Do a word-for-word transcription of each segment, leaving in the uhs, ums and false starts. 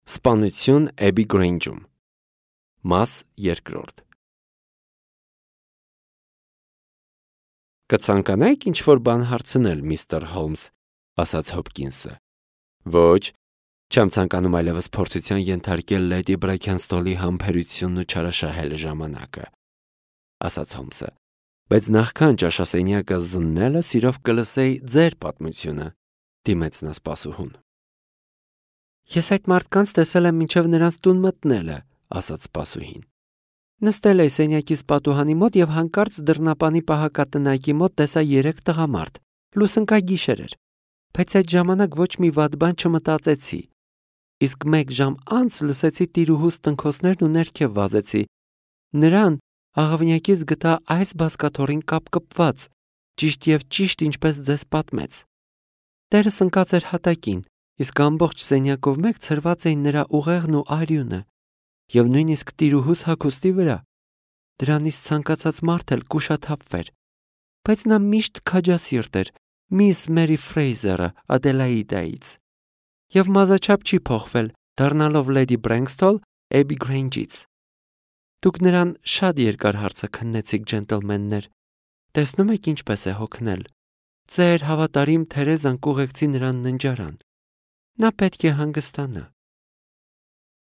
Սպանություն Էբի Գրեյնջում։ Մաս երկրորդ։ Կցանկանայիք ինչ-որ բան հարցնել, միստր Հոլմս, ասաց Հոփկինսը։ Ոչ, չեմ ցանկանում այլևս փորձության ենթարկել լեդի Բրաքենստոլի համբերությունն ու չարաշահել ժամանակը, ասաց Հոլմսը, բայց նախքան ճաշասենյակը զննելը սիրով կլսեի ձեր պատմությունը, դիմեց նա սպասուհուն։ Ես այդ մարդկանց տեսել եմ մինչև նրանց տուն մտնելը, ասաց սպասուհին։ Նստել էի սենյակիս պատուհանի մոտ եւ հանկարծ դռնապանի պահակատնայքի մոտ տեսա երեք տղամարդ, լուսնկագիշեր էր, բայց այդ ժամանակ ոչ մի վատ բան չմտածեցի։ Իսկ մեկ ժամ անց լսեցի տիրուհուս տնքոցներն ու ներքև վազեցի։ Նրան աղավնյակից գտա այս բազկաթոռին կապկպված, ճիշտ եւ ճիշտ ինչպես ձեզ պատմեց։ Տերս ընկած էր հատակին, իսկ ամբողջ սենյակով մեկ ցրված էին նրա ուղեղն ու արյունը, եւ նույնիսկ տիրուհուս հագուստի վրա։ Դրանից ցանկացած մարդ էլ կուշաթափվեր, բայց նա միշտ քաջասիրտ էր, միս Մերի Ֆրեյզերը Ադելաիդայից, եւ մազաչափ չի փոխվել, դառնալով լեդի Բրենքստոլ Էբի Գրեյնջից։ Դուք նրան շատ երկար հարցը քննեցիք, ջենտլմեններ, տեսնում եք ինչպես է հոգնել։ Ձեր հավատարիմ Թերեզան կուղեկցի նրան ննջարան։ Նա պետք է հանգստանա։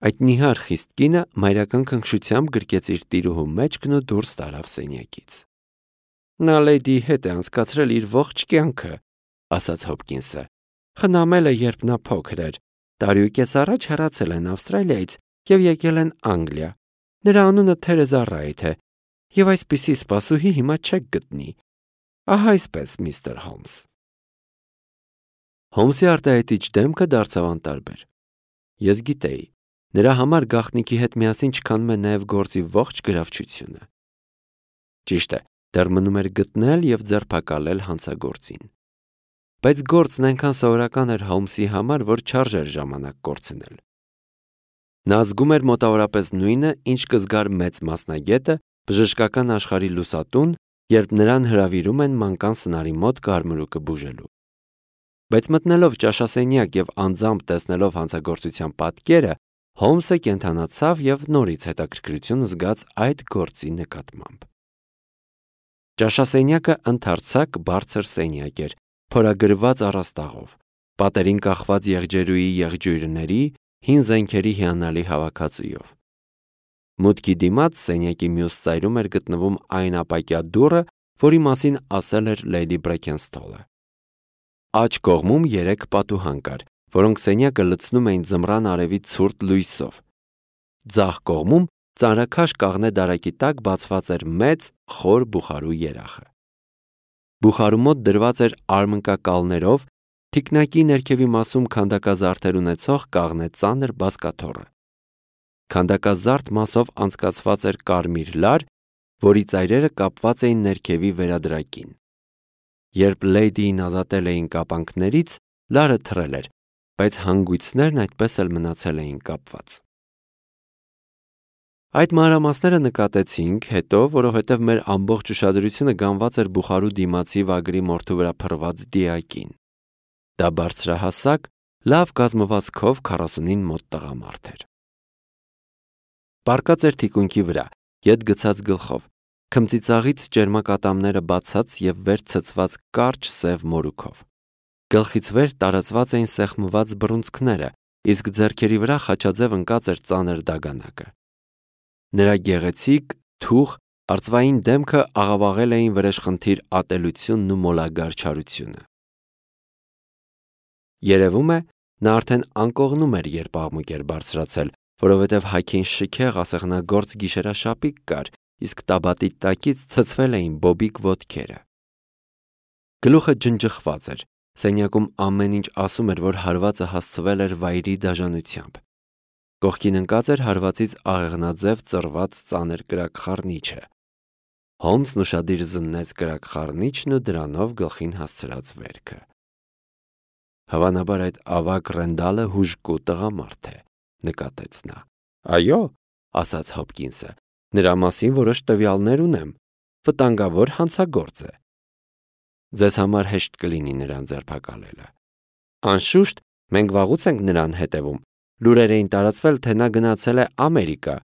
Այդ նիհար խիստ կինը մայրական քնքշությամբ գրկեց իր տիրուհու մեջքն ու դուրս տարավ սենյակից։ Նա լեդիի հետ է անցկացրել իր ողջ կյանքը, ասաց Հոփկինսը։ Խնամել է, երբ նա փոքր էր, տարի ու կես առաջ հեռացել են Ավստրալիայից եւ եկել են Անգլիա։ Նրա անունը Թերեզա Ռայթ է, եւ այսպիսի սպասուհի հիմա չեք գտնի։ Ահա այսպես, միստր Հոլմս։ Հոլմսի արտահայտիչ դեմքը դարձավ անտարբեր։ Ես գիտեի, նրա համար գաղտնիքի հետ միասին չքանում է նաև գործի ողջ գրավչությունը։ Ճիշտ է, դեռ մնում էր գտնել եւ ձերբակալել հանցագործին։ Բայց գործն այնքան սովորական էր Հոլմսի համար, որ չարժեր ժամանակ կորցնել։ Նա զգում էր մոտավորապես նույնը, ինչ կզգար մեծ մասնագետը բժշկական աշխարհի լուսատուն, երբ նրան հրավիրում են մանկան սնարի մոտ կարմրուկը բուժելու։ Բայց մտնելով ճաշասենյակ եւ անձամբ տեսնելով հանցագործության պատկերը, Հոլմսը կենթանացավ եւ նորից հետաքրքրություն զգաց այդ գործի նկատմամբ։ Ճաշասենյակը ընդարձակ բարձր սենյակ էր, փորագրված առաստաղով, պատերին կախված եղջերուի եղջյուրների, հին զենքերի հիանալի հավաքածուով։ Մուտքի դիմաց սենյակի մյուս ծայրում էր գտնվում այն ապակյա դուռը, որի մասին ասել էր լեդի Բրաքենստոլը։ Աջ կողմում երեք պատուհան կար, որոնք սենյակը լցնում էին ձմռան արևի ցուրտ լույսով։ Ձախ կողմում ծանրաքաշ կաղնե դարակի տակ բացված էր մեծ խոր բուխարու երախը։ Բուխարու մոտ դրված էր արմնկակալներով թիկնակի ներքևի մասում քանդակազարդեր ունեցող կաղնե ծանր բազկաթոռը։ Քանդակազարդ մասով անցկացված էր կարմիր լար, որի ծայրերը կապված էին ներքևի վերադրակին։ Երբ լեդիին ազատել էին կապանքներից, լարը թռել էր, բայց հանգույցներն այդպես էլ մնացել էին կապված։ Այդ մանրամասները նկատեցինք հետո, որովհետև մեր ամբողջ ուշադրությունը գանված էր բուխարու դիմացի վագրի մորթու վրա փռված դիակին։ Դա բարձրահասակ, լավ կազմվածքով քառասունին մոտ տղամարդ էր։ Պառկած էր թիկունքի վրա, ետ գցած գլխով, քմծիծաղից ճերմակատամները բացած եւ վեր ցցված կարճ սև մորուքով։ Գլխից վեր տարածված էին սեղմված բռունցքները, իսկ ձեռքերի վրա խաչաձև ընկած էր ծանր դագանակը։ Նրա գեղեցիկ, թուխ, արծվային դեմքը աղավաղել էին վրեժխնդիր ատելությունն ու մոլագար չարությունը։ Երևում է, նա արդեն անկողնում էր, երբ աղմուկ էր բարձրացել, որովհետև հագին շքեղ ասեղնագործ գիշերաշապիկ կար, իսկ տաբատի տակից ցցվել էին բոբիկ ոտքերը։ Գլուխը ջնջխված էր, սենյակում ամեն ինչ ասում էր, որ հարվածը հասցվել էր վայրի դաժանությամբ։ Կողքին ընկած էր հարվածից աղեղնաձև ծռված ծանր կրակխառնիչը։ Հոլմսն ուշադիր զննեց կրակխառնիչն ու դրանով գլխին հասցրած վերքը։ Հավանաբար այդ ավագ Ռենդալը հուժկու տղամարդ է, նկատեց նա։ Այո, ասաց Հոփկինսը, նրա մասին որոշ տվյալներ ունեմ, վտանգավոր հանցագործ է։ Ձեզ համար հեշտ կլինի նրան ձերբակալելը։ Անշուշտ, մենք վաղուց ենք նրան հետևում, Լուրեր էին տարածվել, թե նա գնացել է Ամերիկա,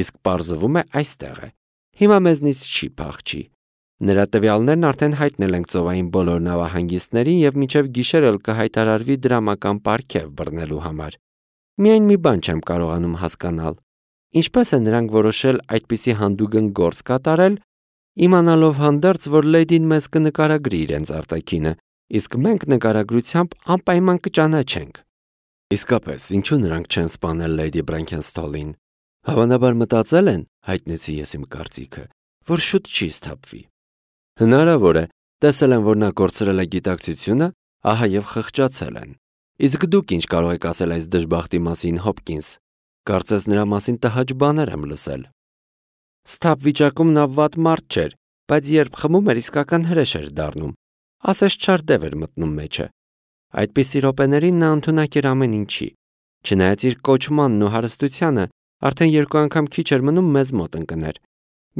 իսկ պարզվում է այստեղ է։ Հիմա մեզնից չի փախչի։ Նրա տվյալներն արդեն հայտնել ենք ծովային բոլոր նավահանգիստներին եւ մինչեւ գիշեր էլ կհայտարարվի դրամական պարգև բռնելու համար։ Միայն մի բան չեմ կարողանում հասկանալ. ինչպես է նրանք որոշել այդպիսի հանդուգն գործ կատարել, իմանալով հանդերձ, որ լեդին մեզ կնկարագրի իրենց արտաքինը, իսկ մենք նկարագրությամբ անպայման կճանաչենք։ Իսկապես, ինչու նրանք չեն սպանել լեյդի Բրաքենստոլին։ Հավանաբար մտածել են, հայտնեցի ես իմ կարծիքը, որ շուտ չի սթափվի։ Հնարավոր է, տեսել են, որ նա կորցրել է գիտակցությունը, ահա եւ խղճացել են։ Իսկ դուք ինչ կարող եք ասել այս դժբախտի մասին, Հոփկինս։ Կարծես նրա մասին տհաճ բաներ եմ լսել։ Սթափ վիճակում նա վատ մարդ չէր, բայց երբ խմում էր, իսկական հրեշ էր դառնում։ Ասես չար դև էր մտնում մեջը։ Այդպիսի րոպեներին նա ընդունակ էր ամեն ինչի։ Չնայած իր կոչմանն ու հարստությանը, արդեն երկու անգամ քիչ էր մնում մեզ մոտ ընկներ։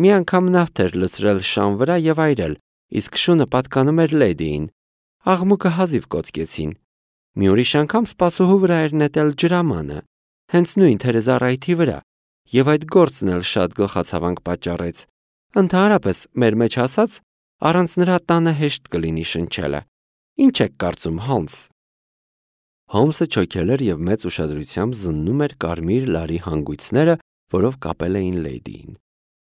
Մի անգամ նավթ էր լցրել շան վրա եւ այրել, իսկ շունը պատկանում էր լեդիին։ Աղմուկը հազիվ կոծկեցին։ Մի ուրիշ անգամ սպասուհու վրա էր նետել ջրամանը, հենց նույն թերեզառայթի վրա, եւ այդ գործն էլ շատ գլխացավանք պատճառեց։ Ընդհանրապես, մեր մեջ ասած, առանց նրա տանը հեշտ կլինի շնչելը։ Ինչ եք կարծում, Հոլմս։ Հոլմսը չոքել էր եւ մեծ ուշադրությամբ զննում էր կարմիր լարի հանգույցները, որով կապել էին լեդիին։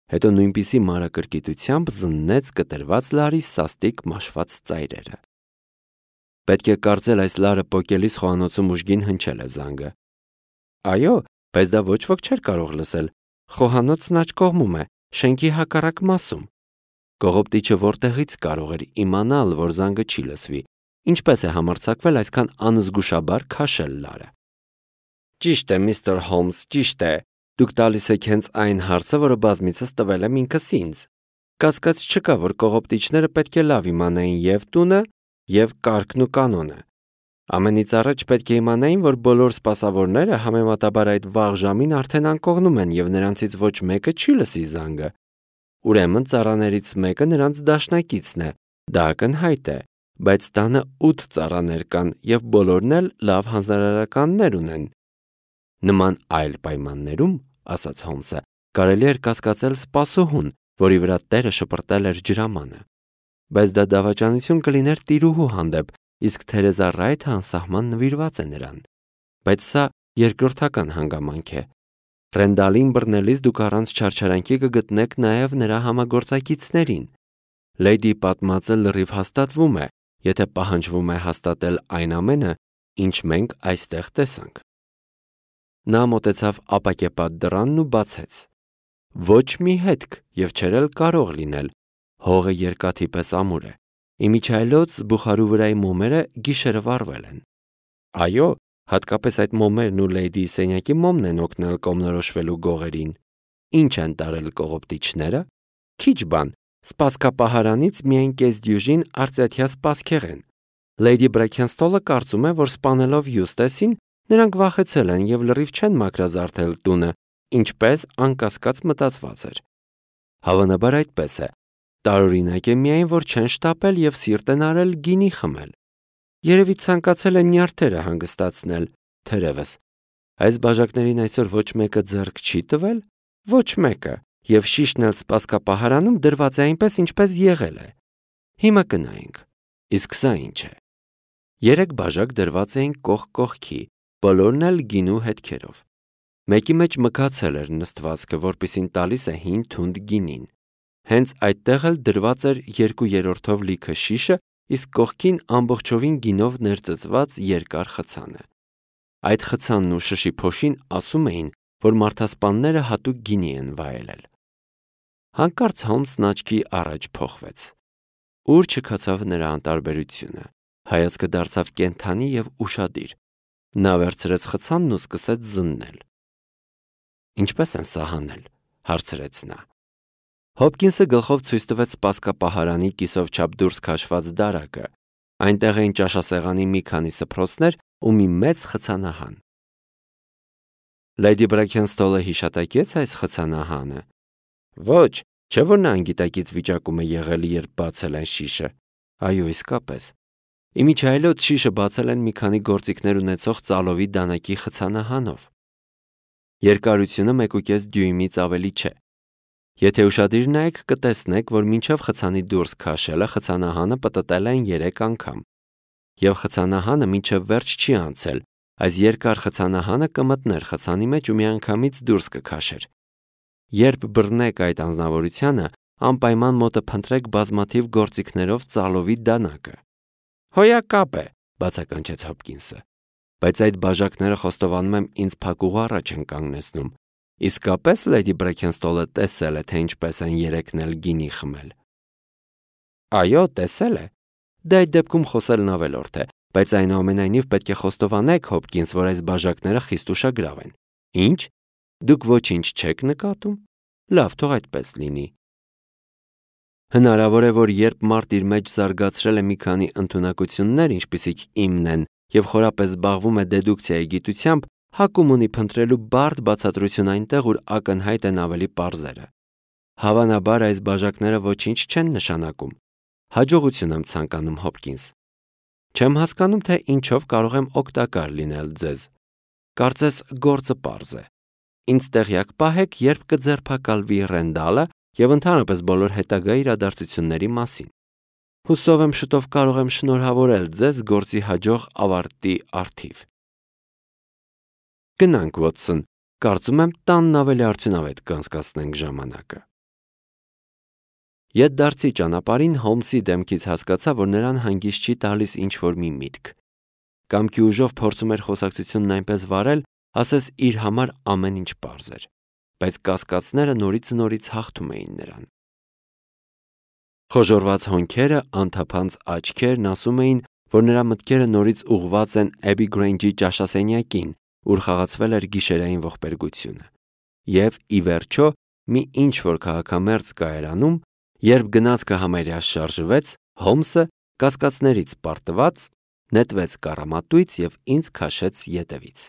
Հետո նույնպիսի մանրակրկիտությամբ զննեց կտրված լարի սաստիկ մաշված ծայրերը։ Պետք է կարծել այս լարը պոկելիս խոհանոցում ուժգին հնչել է զանգը։ Այո, բայց դա ոչ ոք չէր կարող լսել։ Խոհանոցն աջ կողմում է, շենքի հակառակ մասում։ Կողոպտիչը որտեղից կարող էր իմանալ, որ զանգը չի լսվի, ինչպես է համարձակվել այսքան անզգուշաբար քաշել լարը։ Ճիշտ է, միստր Հոլմս, ճիշտ է։ Դուք տալիս եք հենց այն հարցը, որը բազմիցս տվել եմ ինքս ինձ։ Կասկած չկա, որ կողոպտիչները պետք է լավ իմանային եւ տունը, եւ կարգն ու կանոնը։ Ամենից առաջ պետք է իմանային, որ բոլոր սպասավորները համեմատաբար այդ վաղ ժամին արդեն անկողնում են եւ նրանցից ոչ մեկը չի լսի զանգը։ Ուրեմն ծառաներից մեկը նրանց դաշնակիցն է, դա ակնհայտ է, բայց տանը ութ ծառաներ կան եւ բոլորն էլ լավ հանձնարարականներ ունեն։ Նման այլ պայմաններում, ասաց Հոլմսը, կարելի էր կասկածել սպասուհուն, որի վրա տերը շպրտել էր ջրամանը։ Բայց դա դավաճանություն կլիներ տիրուհու հանդեպ, իսկ թերեզառայթը անսահման նվիրված է նրան։ Բայց սա երկրորդական հանգամանք է։ Ռենդալին բռնելիս դուք առանց չարչարանքի կգտնեք նաև նրա համագործակիցներին։ Լեյդի պատմածը լրիվ հաստատվում է, եթե պահանջվում է հաստատել այն ամենը, ինչ մենք այստեղ տեսանք։ Նա մոտեցավ ապակեպատ դռանն ու բացեց։ Ոչ մի հետք եւ չէր էլ կարող լինել։ Հողը երկաթի պես ամուր է։ Իմիջայլոց զբուխարու վրայի մոմերը գիշերը վառվել են։ Այո, հատկապես այդ մոմերն ու լեյդի սենյակի մոմն են օգնել կողմնորոշվելու գողերին։ Ինչ են տարել կողոպտիչները։ Քիչ բան, սպասքապահարանից միայն կես դյուժին արծաթյա սպասքեղեն։ Լեյդի Բրաքենստոլը կարծում է, որ սպանելով Յուստեսին, նրանք վախեցել են եւ լրիվ չեն մաքրազարդել տունը, ինչպես անկասկած մտածված էր։ Հավանաբար այդպես է։ Տարօրինակ է միայն, որ չեն շտապել եւ սիրտ են արել գինի խմել։ Երևի ցանկացել են նյարդերը հանգստացնել, թերևս։ Այս բաժակներին այսօր ոչ մեկը ձեռք չի տվել, ոչ մեկը, եւ շիշն էլ սպասքապահարանում դրված է այնպես, ինչպես եղել է։ Հիմա կնայենք։ Իսկ սա ինչ է։ Երեք բաժակ դրված էին կողք կողքի, բոլորն էլ գինու հետքերով։ Մեկի մեջ մգացել էր նստվածքը, որպիսին տալիս է հին թունդ գինին։ Հենց այդտեղ էլ դրված էր երկու երրորդով լիքը շիշը, իսկ կողքին ամբողջովին գինով ներծծված երկար խցանը։ Այդ խցանն ու շշի փոշին ասում էին, որ մարդասպանները հատուկ գինի են վայելել։ Հանկարծ Հոլմսն աչքի առաջ փոխվեց։ Ուր չքացավ նրա անտարբերությունը։ Հայացքը դարձավ կենթանի եւ ուշադիր։ Նա վերցրեց խցանն ու սկսեց զննել։ Ինչպես են սա հանել, հարցրեց նա։ Հոփկինսը գլխով ցույց տվեց սպասքապահարանի կիսով չափ դուրս քաշված դարակը։ Այնտեղ էին ճաշասեղանի մի քանի սփռոցներ ու մի մեծ խցանահան։ Լեյդի Բրաքենստոլը հիշատակեց այս խցանահանը։ Ոչ, չէ՞ որ նա անգիտակից վիճակում է եղել, երբ բացել են շիշը։ Այո, իսկապես։ Իմիջայլոց շիշը բացել են մի քանի գործիքներ ունեցող ծալովի դանակի խցանահանով։ Երկարությունը մեկուկես դյույմից ավելի չէ։ Եթե ուշադիր նայեք, կտեսնեք, որ մինչև խցանի դուրս քաշելը խցանահանը պտտել են երեք անգամ։ Եվ խցանահանը մինչև վերջ չի անցել, այս երկար խցանահանը կմտներ խցանի մեջ ու միանգամից դուրս կքաշեր։ Երբ բռնեք այդ անձնավորությանը, անպայման մոտը փնտրեք բազմաթիվ գործիքներով ծալովի դանակը։ Հոյակապ է, բացականչեց Հոփկինսը, բայց այդ բաժակները խոստովանում եմ ինձ փակուղու առաջ են կանգնեցնում։ Իսկապես Լեյդի Բրեքենստոլը տեսել է, թե ինչպես են երեքն էլ գինի խմել։ Այո, տեսել է։ Դա այդ դեպքում խոսելն ավելորդ է, բայց այնուամենայնիվ պետք է խոստովանեք, Հոփկինս, որ այս բաժակները խիստ ուշագրավ են։ Ինչ։ Դուք ոչինչ չեք նկատում։ Լավ, թող այդպես լինի։ Հնարավոր է, որ երբ մարդ իր մեջ զարգացրել է մի քանի ընդունակություններ, ինչպիսիք իմն են, եւ խորապես զբաղվում է դեդուկցիայի գիտությամբ, հակում ունի փնտրելու բարդ բացատրություն այնտեղ, ուր ակնհայտ են ավելի պարզերը։ Հավանաբար այս բաժակները ոչինչ չեն նշանակում։ Հաջողություն եմ ցանկանում, Հոփկինս։ Չեմ հասկանում, թե ինչով կարող եմ օգտակար լինել ձեզ։ Կարծես գործը պարզ է։ Ինձ տեղյակ պահեք, երբ կձերբակալվի Ռենդալը եւ ընդհանրապես բոլոր հետագա իրադարձությունների մասին։ Հուսով եմ շուտով կարող եմ շնորհավորել ձեզ գործի հաջող ավարտի առթիվ։ Գնանք, Վոթսոն, կարծում եմ տանն ավելի արդյունավետ կանցկացնենք ժամանակը։ Ետդարձի ճանապարհին Հոլմսի դեմքից հասկացա, որ նրան հանգիստ չի տալիս ինչ-որ մի միտք։ Կամքի ուժով փորձում էր խոսակցությունն այնպես վարել, ասես իր համար ամեն ինչ պարզ էր, բայց կասկածները նորից ու նորից հաղթում էին նրան։ Խոժոռված հոնքերը, անթափանց աչքերն ասում էին, որ նրա մտքերը նորից ուղղված են Էբի Գրեյնջի ճաշասենյակին, ուր խաղացվել էր գիշերային ողբերգությունը։ Եվ, ի վերջո, մի ինչ-որ քաղաքամերձ կայարանում, երբ գնացքը համարյա շարժվեց, Հոլմսը, կասկածներից պարտված, նետվեց կառամատույց և ինձ քաշեց ետևից։